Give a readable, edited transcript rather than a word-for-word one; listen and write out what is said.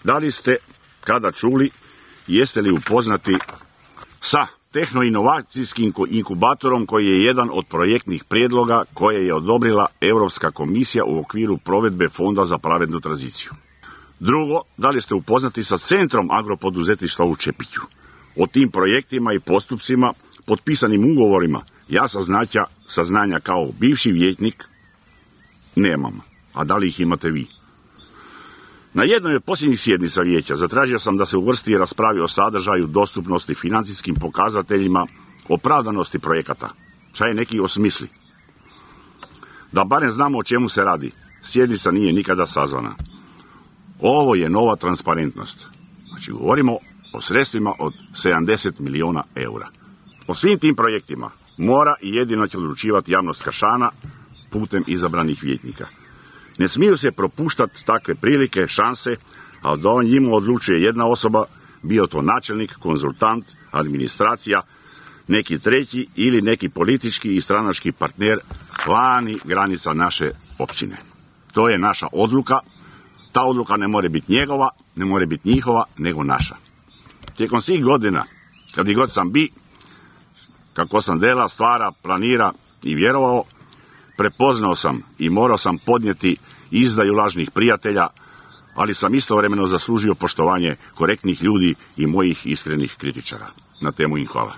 Da li ste kada čuli, jeste li upoznati sa tehnoinovacijskim inkubatorom koji je jedan od projektnih prijedloga koje je odobrila Europska komisija u okviru provedbe Fonda za pravednu tranziciju? Drugo, da li ste upoznati sa Centrom agropoduzetništva u Čepiću? O tim projektima i postupcima, potpisanim ugovorima, ja saznanja kao bivši vijećnik nemam. A da li ih imate vi? Na jednoj od posljednjih sjednica vijeća zatražio sam da se uvrsti i raspravi o sadržaju, dostupnosti, financijskim pokazateljima, opravdanosti projekata. Čaj neki osmisli. Da barem znamo o čemu se radi. Sjednica nije nikada sazvana. Ovo je nova transparentnost. Znači, govorimo o sredstvima od 70 milijuna eura. O svim tim projektima mora i jedino će odlučivati javnost Kršana putem izabranih vijećnika. Ne smiju se propuštati takve prilike, šanse, a da o njima odlučuje jedna osoba, bio to načelnik, konzultant, administracija, neki treći ili neki politički i stranački partner vani granica naše općine. To je naša odluka. Ta odluka ne može biti njegova, ne može biti njihova, nego naša. Tijekom svih godina, kad i god sam bi, kako sam dela, stvara, planira i vjerovao, prepoznao sam i morao sam podnijeti izdaju lažnih prijatelja, ali sam istovremeno zaslužio poštovanje korektnih ljudi i mojih iskrenih kritičara. Na temu im hvala.